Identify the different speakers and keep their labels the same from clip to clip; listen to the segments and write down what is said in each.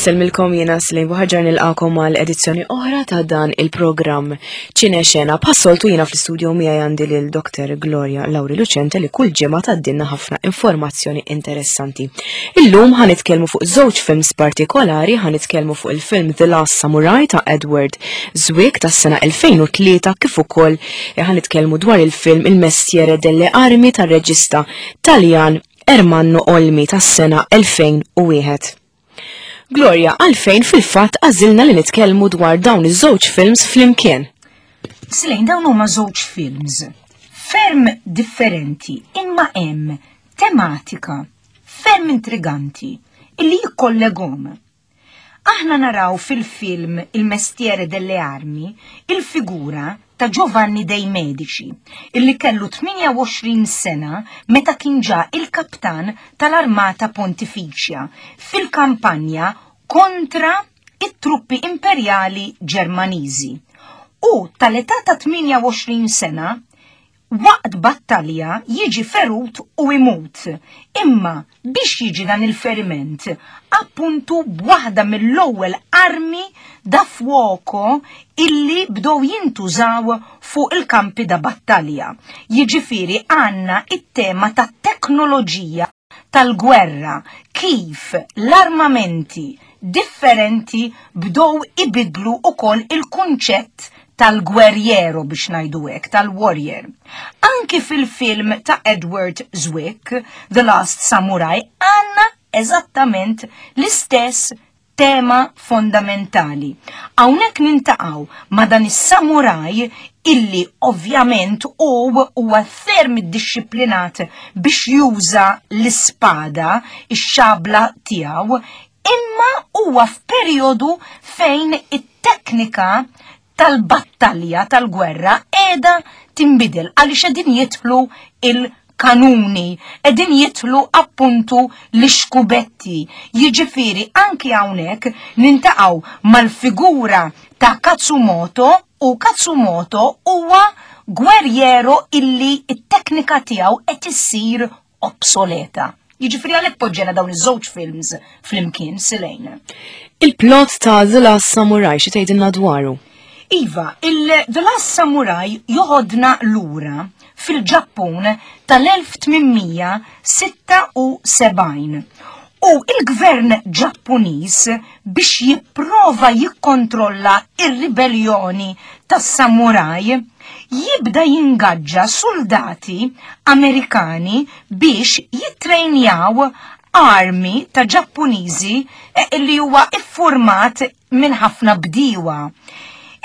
Speaker 1: Insellmilkom jiena Slejn Buħaġar nilqakom għal edizzjoni oħra ta' dan il-programm Ċine Xena. Passoltu jiena fl-istudio miegħi għandi lil Dr. Gloria Lauri Lucente li kull ġimgħa tgħaddilna ħafna informazzjoni interessanti. Illum ħanitkellmu fuq żewġ films partikolari, ħanitkellmu fuq il-film The Last Samurai ta' Edward Zwick tas-sena 2003 kif ukoll ħanitkellmu dwar il-film Il Mestiere delle Armi tar-reġista Taljan Ermanno Olmi tas-sena 2001. Gloria, għalfejn fil-fatt għażilna li nitkellmu dwar dawn iż-żewġ films flimkien?
Speaker 2: Slejn dawn huma żewġ films ferm differenti imma hemm tematika ferm intriganti illi jikkolleghom. Aħna naraw fil-film Il Mestiere delle Armi il-figura ta' Giovanni dei Medici, illi kellu 28 sena meta kien ġa il-kaptan tal-Armata Pontifiċja fil-kampanja kontra it-truppi imperjali Ġermaniżi. U tal-età ta' 28 sena Waqt battalja jiġi ferut u imut. Imma biex jiġi dan il-feriment? Appuntu b'waħda mill-ewwel armi da fuoco illi bdew jintużaw fuq il-kampi da battalja. Jiġifieri għandna it-tema tat-teknoloġija tal-gwerra, kif l-armamenti differenti bdew ibiddlu wkoll il-kunċett tal-gwerriero biex ngħidu hekk, tal-warrior. Anki fil-film ta' Edward Zwick, The Last Samurai, għandna eżattament l-istess tema fondamentali. Hawnhekk nintaqgħu ma' dan is-samuraj illi ovvjament hu huwa ferm iddixxiplinat biex juża l-ispada, ix-xabla tiegħu, imma huwa f'perjodu fejn it-teknika tal-battalja tal-gwerra qiegħda tinbidel għaliex qegħdin jidħlu il-kanuni, qegħdin jidħlu appuntu l-ixkubetti. Jiġifieri anki hawnhekk nintaqgħu mal-figura ta' Katsumoto u Katsumoto huwa gwerriero illi t-teknika tiegħu qed issir obsoleta. Jiġifieri għalhekk poġġejna dawn iż-żewġ films flimkien silejn.
Speaker 1: Il-plot ta' The Last Samurai xi tgħidilna dwaru?
Speaker 2: Iva, il-The Last Samurai joħodna lura fil-Ġappun tal-1876. U il-gvern Ġappuniż biex jipprova jikkontrolla ir-ribellioni tas-samuraj jibda jingaġġa suldati Amerikani biex jittrejnjaw army ta' Ġappuniżi eh, li huwa iffurmat minn ħafna bdiewa.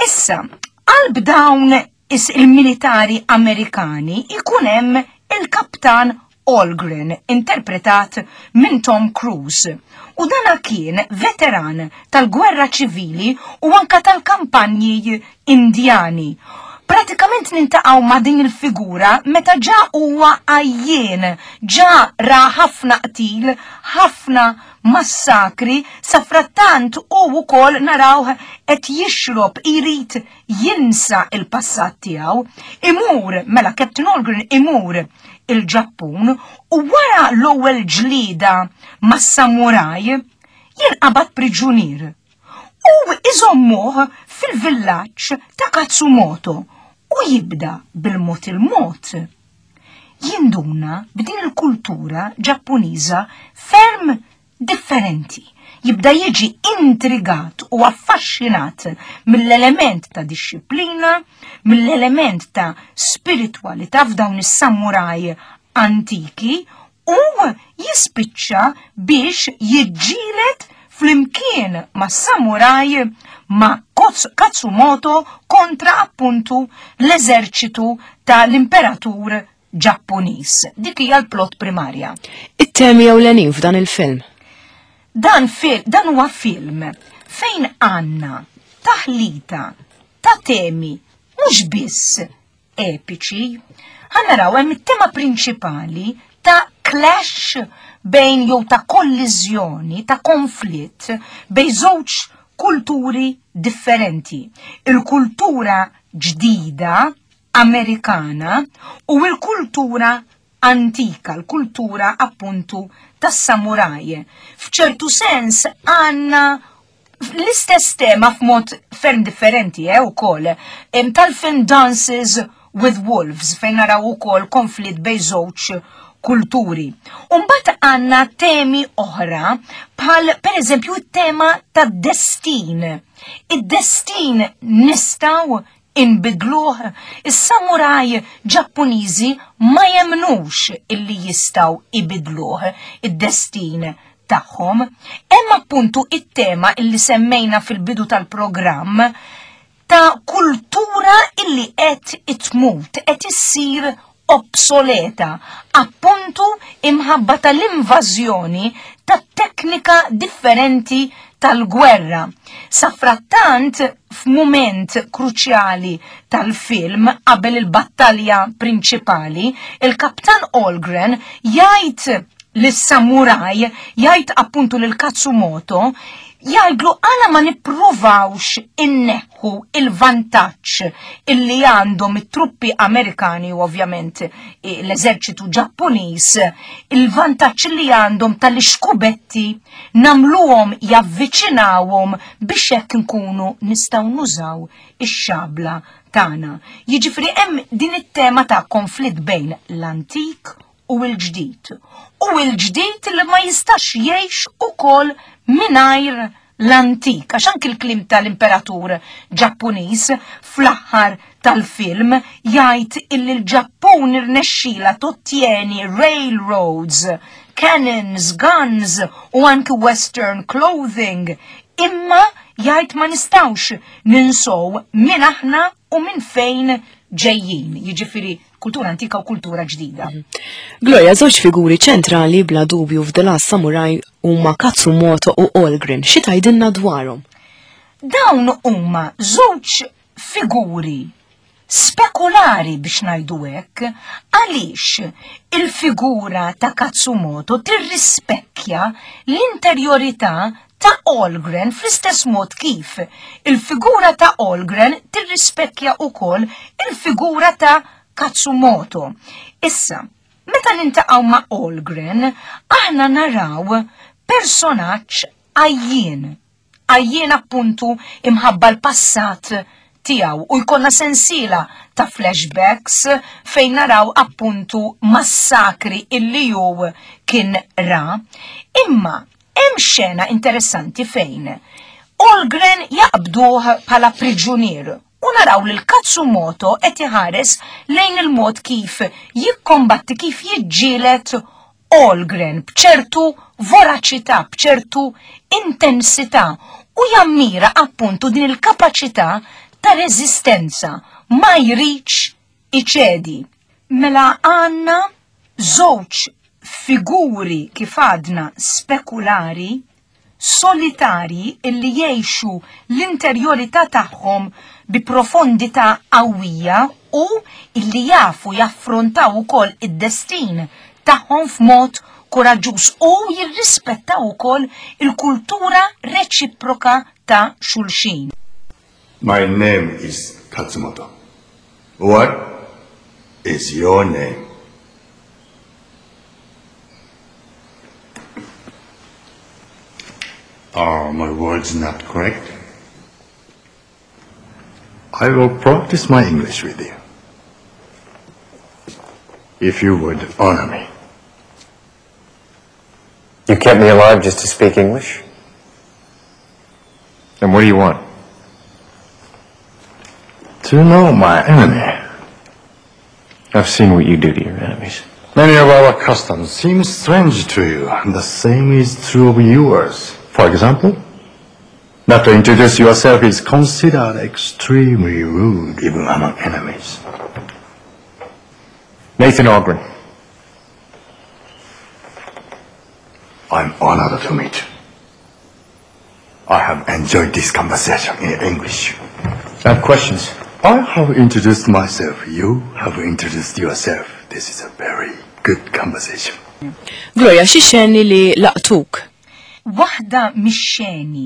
Speaker 2: Issa, qalb dawn il-militari Amerikani ikun hemm il-kaptan Algren, interpretat minn Tom Cruise. U dana kien veteran tal-gwerra ċivili u anka tal-kampanji Indjani. Pratikament nintaqgħu ma' din il-figura meta ġa huwa għajjien, ġa ra ħafna qtil, ħafna massakri, safrattant u wkoll narawh qed jixrob irid jinsa il-passat tiegħu, imur mela Captain Algren imur il-Ġappun u wara l-ewwel ġlieda mas-samuraj jinqabad priġunier u iżommuh fil-villaġġ ta' Katsumoto u jibda bil-mod il-mod jinduna b'din il-kultura Ġappuniża ferm differenti. Jibda jiġi intrigat u affaxxinat mill-element ta' dixxiplina, mill-element ta' spiritwalità f'dawn is-samuraj antiki u jispiċċa biex jiġġieled flimkien ma' samuraj ma' Katsumoto kontra appuntu l-eżerċitu tal-imperatur Ġappuniż. Dik hija l-plot primarja.
Speaker 1: It-temi ewlenin f'dan il-film.
Speaker 2: Dan, fil dan huwa film fejn għandna taħlita ta' temi mhux biss epiċi. Ħa naraw hemm it-tema prinċipali ta' clash bejn jew ta' kolliżjoni, ta' konflitt bejn żewġ kulturi differenti. Il-kultura ġdida Amerikana u l-kultura antika, l-kultura appuntu tas-samuraj. F'ċertu sens għandna l-istess tema f'mod ferm differenti eh, ukoll tal-film Dances with Wolves fejn naraw ukoll konflitt bejn żewġ kulturi. Umbat għanna temi oħra bħal per eżempju it-tema tad-destin. Id-destin nistaw inbidluh, is-samuraj Ġappuniżi ma jemnux illi jistaw ibidluh id-destin tagħhom. Hemm appuntu it-tema illi semmejna fil-bidu tal-programm ta' kultura illi qed itmut, qed issir obsoleta, appuntu imħabba tal-invażjoni ta' teknika differenti tal-gwerra. Safrattant, f'mument kruċjali tal-film qabel il-battalja prinċipali, il-Kaptan Olgren jgħid lis-samuraj, jgħid appuntu lil Katsumoto, jgħidlu għala ma nippruvawx inneħħu il-vantaġġ illi għandhom it-truppi Amerikani u ovvjament eh, l-eżerċitu Ġappuniż, il-vantaġġ li għandhom tal-ixkubetti namluhom javviċinawhom biex hekk nkunu nistgħu nużaw ix-xabla tagħna. Jiġifieri hemm din it-tema ta' konflitt bejn l-antik u l-ġdid. U l-ġdid li ma jistax jgħix ukoll mingħajr l-antik, għax anki l-klim tal-imperatur Ġappuniż fl-aħħar tal-film jgħid illi l-Ġappun irnexxila tottieni railroads, cannons, guns u anki western clothing, imma jgħid ma nistawx ninsow min aħna u minn fejn ġejjin, jiġifieri kultura antika u kultura ġdida. Mhm.
Speaker 1: Gloria, żewġ figuri ċentrali bla dubju f'The Last Samurai huma Katsumoto u Olgren. Xi tgħidilna dwarhom?
Speaker 2: Dawn huma żewġ figuri spekulari biex ngħidu hekk, għaliex il-figura ta' Katsumoto tirrispekkja l-interjorità ta' Olgren fl-istess mod kif il-figura ta' Olgren tirrispekkja wkoll il-figura ta' Katsumoto. Issa, meta nintaqgħu ma' Olgren, aħna naraw personaġġ għajjien. Għajjien appuntu imħabba l-passat tiegħu u jkollna sensiela ta' flashbacks fejn naraw appuntu massakri illi hu kien ra. Imma Hemm xena interessanti fejn Olgren jaqbduh bħala priġunier u naraw lil Katsumoto qed iħares lejn il-mod kif jikkombatti kif jiġġieled Olgren b'ċertu voraċità, b'ċertu intensità u jammira appuntu din il-kapaċità ta' reżistenza ma jridx iċedi. Mela għandna żewġ figuri kif għadna spekulari, solitarji illi jgħixu l-interjorità tagħhom bi profondità qawwija u illi jafu jaffrontaw ukoll id-destin tagħhom f'mod kuraġġuż u jirrispettaw ukoll il-kultura reċiproka ta' xulxin.
Speaker 3: My name is Katsumoto. What is your name? Are my words not correct? I will practice my English with you. If you would honor me.
Speaker 4: You kept me alive just to speak English? And what do you want?
Speaker 3: To know my enemy.
Speaker 4: I've seen what you do to your enemies.
Speaker 3: Many of our customs seem strange to you, and the same is true of yours. For example, not to introduce yourself is considered extremely rude, even among enemies.
Speaker 4: Nathan Algren.
Speaker 3: I'm honored to meet you. I have enjoyed this conversation in English.
Speaker 4: I have questions.
Speaker 3: I have introduced myself. You have introduced yourself. This is a very good conversation.
Speaker 1: Gloria, xi xeni li laqtuk?
Speaker 2: Waħda mix-xeni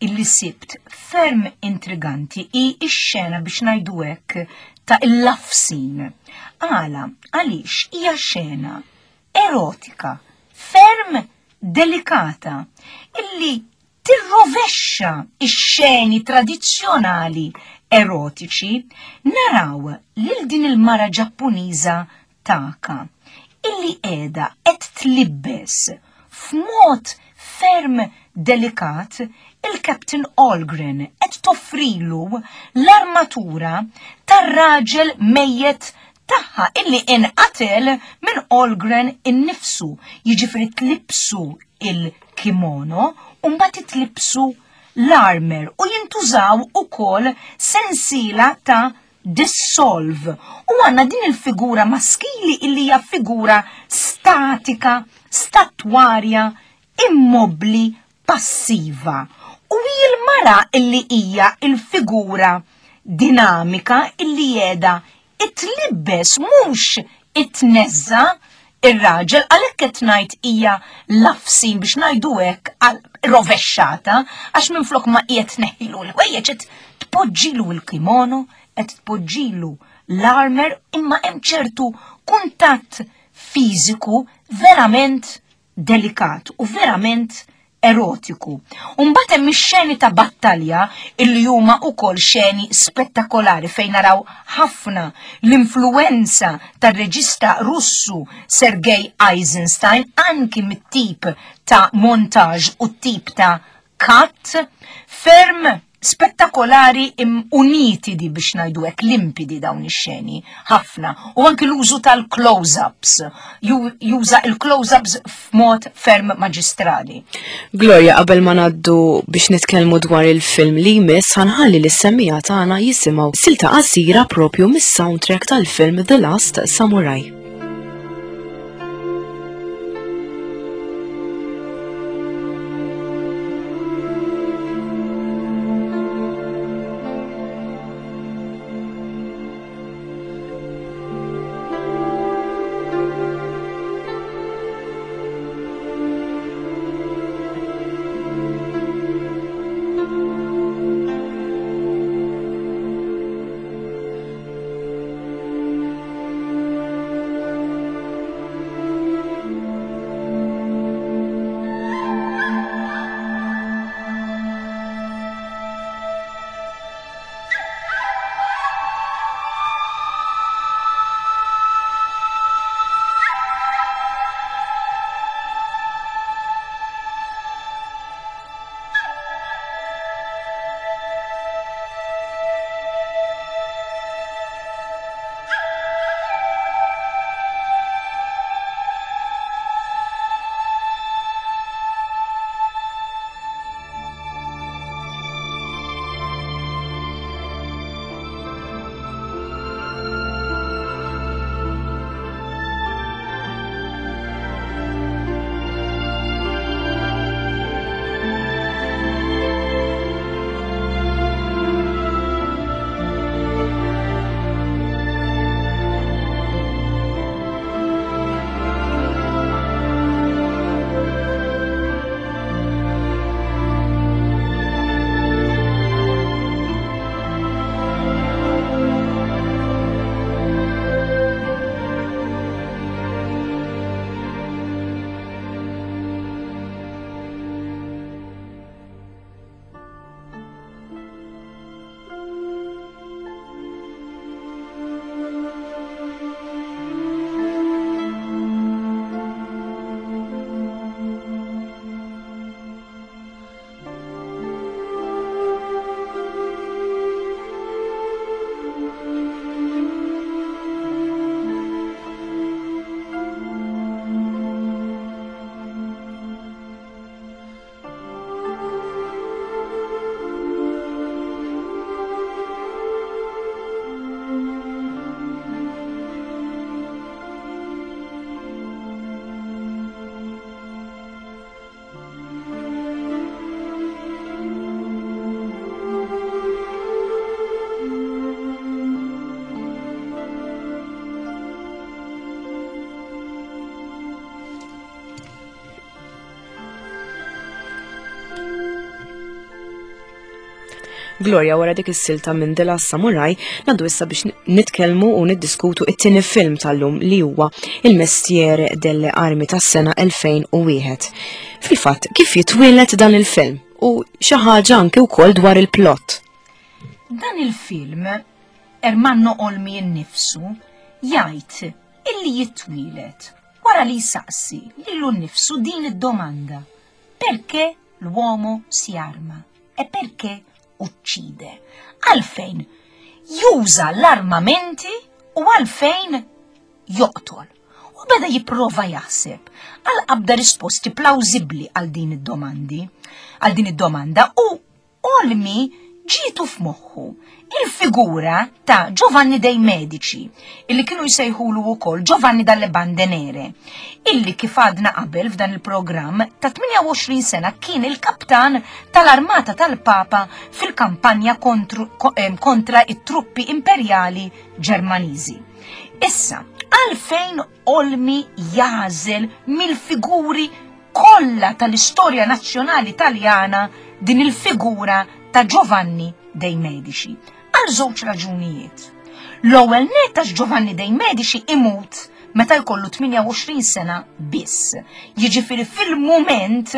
Speaker 2: illi sibt ferm intriganti hi x-xena biex ngħidu hekk ta' il-love scene. Għala, għaliex hija xena erotika, ferm delikata, illi tirrovexxa x-xeni tradizzjonali erotiċi, naraw lil din il-mara Ġappuniża Taka, illi qiegħda qed tlibbes f'mod ferm delikat il-Captain Algren qed toffrilu l-armatura tar-raġel mejjet tagħha illi inqatel minn Algren innifsu, jiġifieri tlibsu il-kimono u mbagħad itlibsu l-armer u jintużaw ukoll sensiela ta' dissolve. U għandna din il-figura maskili illi hija figura statika, statwarja, immobbli, passiva. U hi l-mara illi hija il-figura dinamika illi qiegħda it-tlibbes mhux it-tneżża ir-raġel għalhekk qed ngħid hija lafsin biex ngħidu hekk rovexxata għax minflok ma qiegħed tneħħilu l-ħwejjeġ qed tpoġġilu l-kimono, qed tpoġġilu l-armer imma hemm ċertu kuntatt fiżiku verament delikat u verament erotiku. U mbagħad hemm ix-xeni ta' battalja illi huma wkoll xeni spettakolari fejn naraw ħafna l-influwenza tar-reġista Russu Sergei Eisenstein anki mit-tip ta' montaġġ u t-tip ta' cut ferm spettakolari u nitidi biex ngħidu hekk limpidi dawn ix-xeni ħafna u anki l-użu tal-close-ups juża il-close-ups f'mod ferm maġistrali.
Speaker 1: Gloria, qabel ma ngħaddu biex nitkellmu dwar il-film li jmiss ħanħalli lis-semmiegħa tagħna jisimgħu silta qasira propju mis-soundtrack tal-film The Last Samurai. Gloria wara dik is-silta minn The Last Samurai, ngħaddu issa biex nitkellmu u niddiskutu it-tieni film tal-lum li huwa Il-Mestiere delle Armi tas-sena 2001. Fil-fatt, kif jitwieled dan il-film u xi ħaġa anke wkoll dwar il-plot.
Speaker 2: Dan il-film, Ermanno Olmi nnifsu jgħid illi jitwieled wara li jsaqsi lilu nnifsu din id-domanda: perché l'uomo si arma e perché uccide? Għalfejn juża l-armamenti u għalfejn joqtol? U beda jipprova jaħseb għal qabda risposti plawżibbli għal din id-domandi, għal din id-domanda u Olmi ġietu f'moħħu il-figura ta' Giovanni dei Medici, illi kienu jsejħulu wkoll Giovanni dalle Bande Nere, illi kif għadna qabel f'dan il-programm ta' 28 sena kien il-kaptan tal-armata tal-Papa fil-kampanja kontra it-truppi imperjali Ġermaniżi. Issa, għalfejn Olmi jagħżel mill-figuri kollha tal-istorja nazzjonali Taljana din il-figura ta' Giovanni dei Medici? Għal żewġ raġunijiet. L-ewwel nett għax Giovanni dei Medici imut meta jkollu 28 sena biss. Jiġifieri fil-mument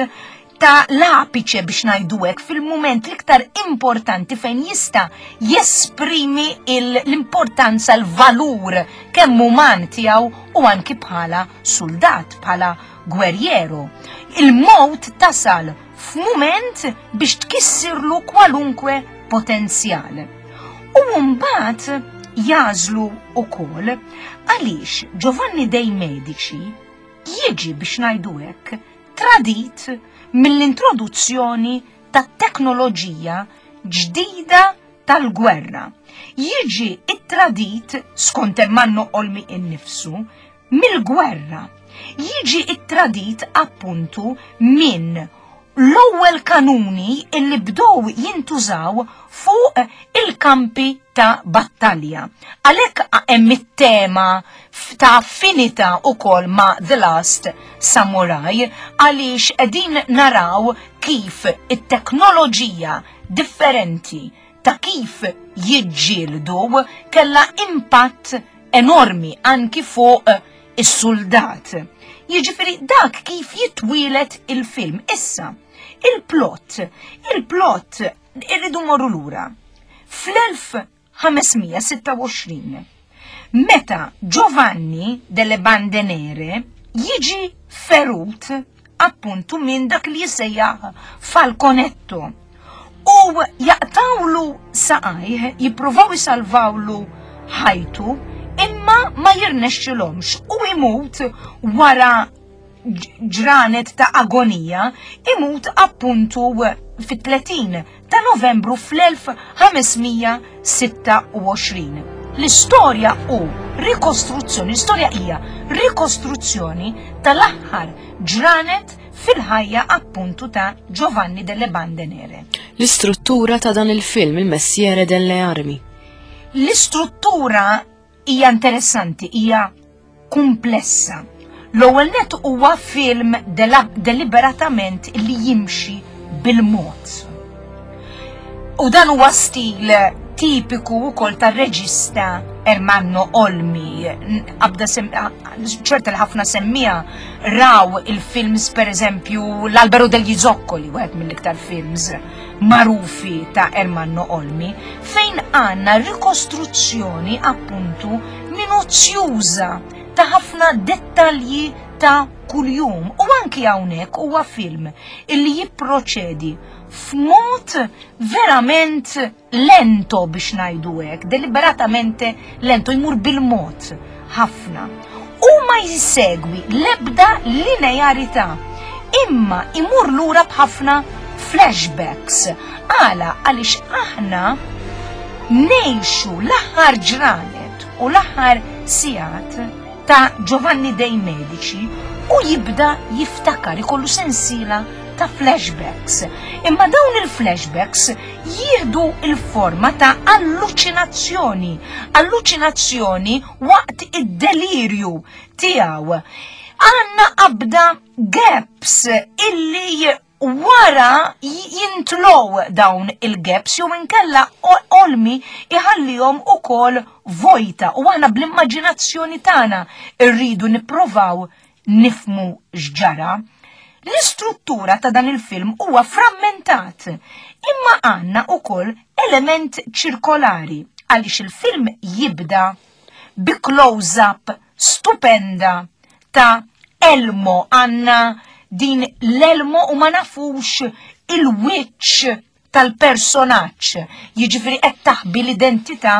Speaker 2: ta' l-apiċe biex ngħidu hekk, fil-mument l-iktar importanti fejn jista' jesprimi l-importanza, l-valur kemm uman tiegħu u anki bħala suldat, bħala gwerriero. Il-mowt tasal f'mument biex tkissirlu kwalunkwe potenzjal. U mbagħad jażlu wkoll għaliex Giovanni dei Medici jiġi biex ngħidu hekk tradit mill-introduzzjoni ta' teknoloġija ġdida tal-gwerra. Jiġi ittradit, skont Ermanno Olmi innifsu, mill-gwerra. Jiġi ittradit appuntu minn l-ewwel kanuni illi bdew jintużaw fuq il-kampi ta' battalja. Għalhekk hemm it-tema ta' affinità ukoll ma' The Last Samurai għaliex qegħdin naraw kif it-teknoloġija differenti ta' kif jiġġieldu kellha impatt enormi anki fuq is-suldat. Jiġifieri dak kif jitwielet il-film. Issa, il-plot, il-plot irridu morru lura. Fl-1526, meta Giovanni delle Bande Nere jiġi ferut appuntu minn dak li jissejjaħ Falconetto u jaqtawlu saqajh, jippruvaw isalvawlu ħajtu, imma ma jirnexxilhomx u imut wara ġranet ta' agonija, imut appuntu fit-30 ta' Novembru fl-1526. L-istorja u rikostruzzjoni, l-istorja hija rikostruzzjoni tal-aħħar ġranet fil-ħajja appuntu ta' Giovanni delle Bande Nere.
Speaker 1: L-istruttura ta' dan il-film, Il-Messiere delle Armi.
Speaker 2: L-istruttura hija interessanti, hija kumplessa. L-ewwel nett huwa film deliberatament li jimxi bil-mod. U dan huwa stil tipiku wkoll tar-reġista Ermanno Olmi. Qabda ċerta li ħafna semmija raw il-films per eżempju L-Albero degli Zoccoli, wieħed mill-iktar films magħrufi ta' Ermanno Olmi, fejn għandna rikostruzzjoni appuntu minuzzjuża ta' ħafna dettalji ta' kuljum. U anki hawnhekk huwa film illi jipproċedi f'mod verament lento biex ngħidu hekk, deliberatamente lento, jmur bil-mod ħafna. U ma jsegwi l-ebda linearità, imma imur lura b'ħafna flashbacks. Għala għaliex aħna ngħixu l-aħħar ġranet u l-aħħar sigħat ta' Giovanni dei Medici u jibda jiftakar, ikollu sensiela ta' flashbacks. Imma dawn il-flashbacks jieħdu il-forma ta' alluċinazzjoni, alluċinazzjoni waqt id-delirju tiegħu. Għandna qabda gaps illi wara jintlow dawn il-gaps jew inkella Olmi iħallihom ukoll vojta u aħna bl-immaġinazzjoni tagħna rridu nipprovaw nifmu x'ġara. L-istruttura ta' dan il-film huwa frammentat, imma għandna ukoll element ċirkolari għaliex il-film jibda bi close-up stupenda ta' Elmo għandna din l-Elmo u ma nafux il-wiċċ tal-personaġġ, jiġifieri qed taħbi l-identità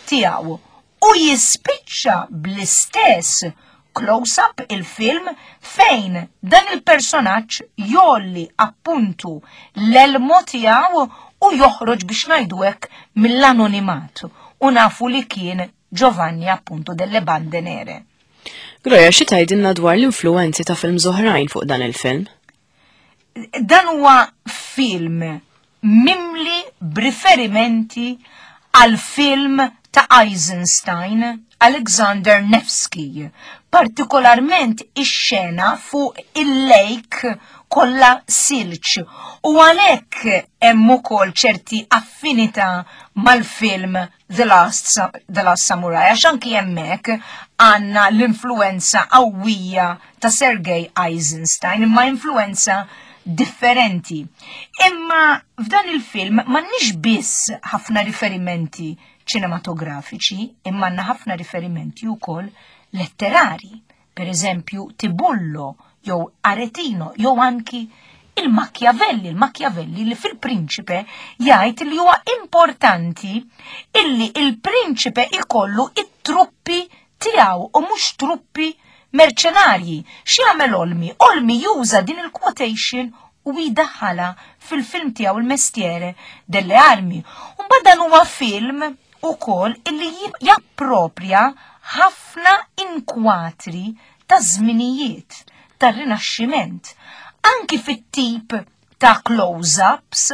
Speaker 2: tiegħu. U jispiċċa bl-istess close-up il-film fejn dan il-personaġġ jolli appuntu l-elmo tiegħu u joħroġ biex ngħidu hekk mill-anonimat u nafu li kien Giovanni appuntu delle Bande Nere.
Speaker 1: Gloria, xi tgħidilna dwar l-influenzi ta' films oħrajn fuq dan il-film?
Speaker 2: Dan huwa film mimli b'riferimenti għal film ta' Eisenstein, Alexander Nevsky, partikolarment ix-xena fuq il-lake kollha silġ u għalhekk hemm ukoll ċerti affinità mal-film The Last, The Last Samurai, għax anki hemmhekk għandna l-influenza qawwija ta' Sergei Eisenstein, imma influenza differenti. Imma f'dan il-film m'għandniex biss ħafna riferimenti ċinematografiċi, imma għandna ħafna riferimenti wkoll letterari. Per eżempju, Tibullo jew Aretino jew anki il-Machiavelli, il-Machiavelli li fil-Prinċipe jgħid li huwa importanti illi il-Prinċipe ikollu it-truppi tiegħu u mhux truppi merċenarji. X'jagħmel Olmi? Olmi juża din il-quotation u jdaħħalha fil-film tiegħu il-Mestiere delle Armi. U mbagħad dan huwa film ukoll illi japproprja ħafna inkwatri ta' żminijiet tar-Rinaxximent, anki fit-tip ta' close-ups,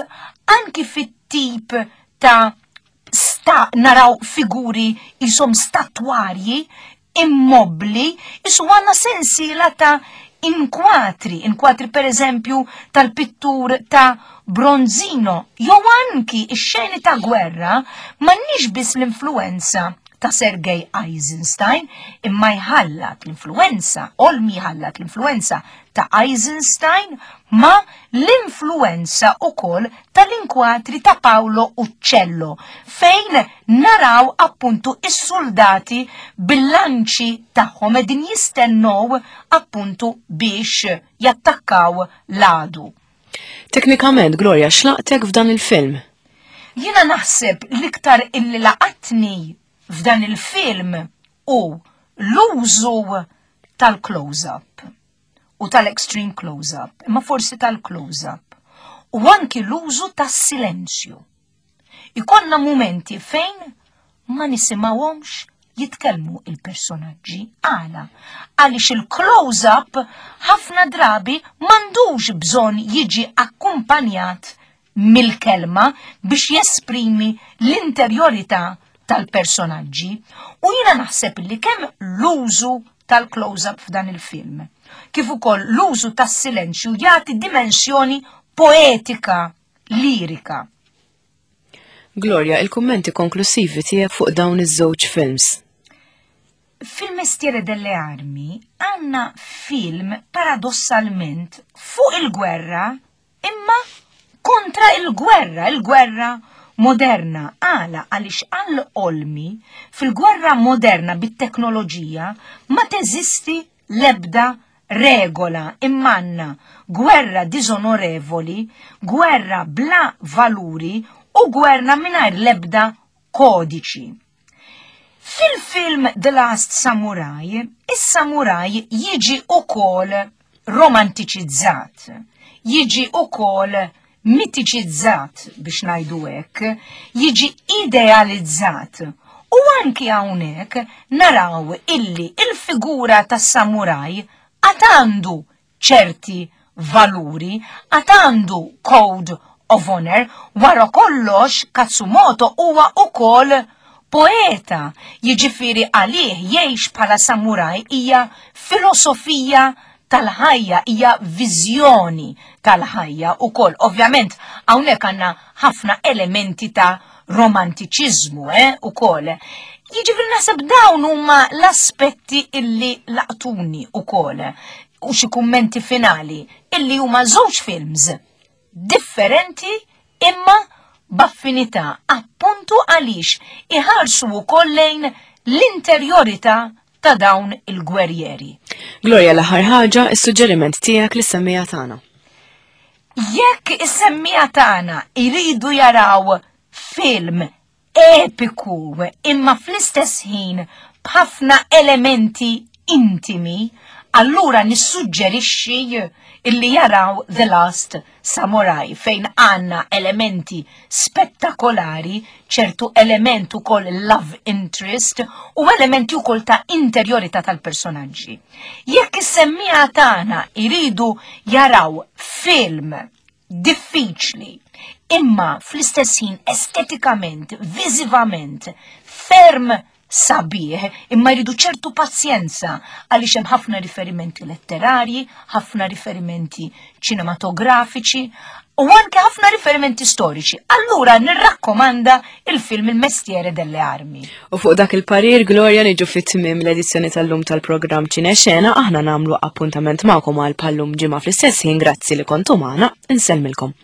Speaker 2: anki fit-tip ta' sta naraw figuri jisom statwarji immobli, jisu għanna sensiela ta' inkwatri, inkwatri per eżempju tal-pittur ta' Bronzino, jew anki ix-xeni ta' gwerra m'għandniex biss l-influenza ta' Sergei Eisenstein imma jħallat l-influenza, Olmi jħallat l-influenza ta' Eisenstein ma l-influenza ukoll tal-inkwatri ta' Paolo Uccello fejn naraw appuntu is-soldati bil-lanċi tagħhom qegħdin jistennew appuntu biex jattakkaw l-għadu.
Speaker 1: Teknikament, Gloria, x'laqtek f'dan il-film?
Speaker 2: Jiena naħseb l-iktar illi laqatni f'dan il-film u l-użu tal-close-up u tal-extreme close-up, imma forsi tal-close-up, u anki l-użu tas-silenzju. Ikollna mumenti fejn ma nisimgħuhomx jitkellmu il-personaġġi. Għala? Għaliex il-close-up ħafna drabi m'għandux bżonn jiġi akkumpanjat mill-kelma biex jesprimi l-interjorità tal-personaġġi. U jiena naħseb li kemm l-użu tal-close-up f'dan il-film, kif ukoll l-użu tas-silenzju jagħti dimensjoni poetika, lirika.
Speaker 1: Gloria, il-kummenti konklusivi tiegħek fuq dawn iż-żewġ films.
Speaker 2: Fil-Mestiere delle Armi għandna film paradossalment fuq il-gwerra imma kontra il-gwerra, il-gwerra moderna. Għala għaliex għal Olmi fil-gwerra moderna bit-teknoloġija ma teżisti l-ebda regola imma għandna gwerra diżonorevoli, gwerra bla valuri u gwerra mingħajr l-ebda kodiċi. Fil-film The Last Samurai, is-samuraj jiġi ukoll romantiċizzat, jiġi ukoll mitiċizzat biex ngħidu hekk, jiġi idealizzat. U anki hawnhekk naraw illi il-figura tas-samuraj għad għandu ċerti valuri, għad għandu code of honor, wara kollox Katsumoto huwa ukoll poeta, jiġifieri għalih jgħix bħala samuraj hija filosofija ta' ħajja. tal-ħajja, hija viżjoni tal-ħajja ukoll. Ovvjament hawnhekk għandna ħafna elementi ta' romantiċiżmu eh, ukoll. Jiġifieri naħseb dawn huma l-aspetti illi laqtuni ukoll u xi kummenti finali illi huma żewġ films differenti imma b'affinità appuntu għaliex iħarsu wkoll lejn l-interjorità ta' dawn il-gwerrieri.
Speaker 1: Gloria l-aħħar ħaġa, is-suġġeriment tiegħek lis-semmiegħa tagħna.
Speaker 2: Jekk is-semmiegħa tagħna jridu jaraw film epiku imma fl-istess ħin b'ħafna elementi intimi, allura nissuġġerixxi illi jaraw The Last Samurai fejn għandna elementi spettakolari, ċertu element ukoll love interest u elementi ukoll ta' interjorità tal-personaġġi. Jekk is-semmiegħa tagħna jridu jaraw film diffiċli, imma fl-istess ħin estetikament, viżivament, ferm sabiħ, imma jridu ċertu pazjenza għaliex hemm ħafna riferimenti letterarji, ħafna riferimenti ċinematografiċi u anke ħafna riferimenti storiċi. Allura nirrakkomanda il-film Il Mestiere delle Armi.
Speaker 1: U fuq dak il-parir, Gloria, niġu fit-tmiem l-edizzjoni tal-lum tal-programm Ċinexena, aħna nagħmlu appuntament magħkom għal bħal-lum ġimgħa fl-istess ħin, grazzi li kontu magħna, insellmilkom.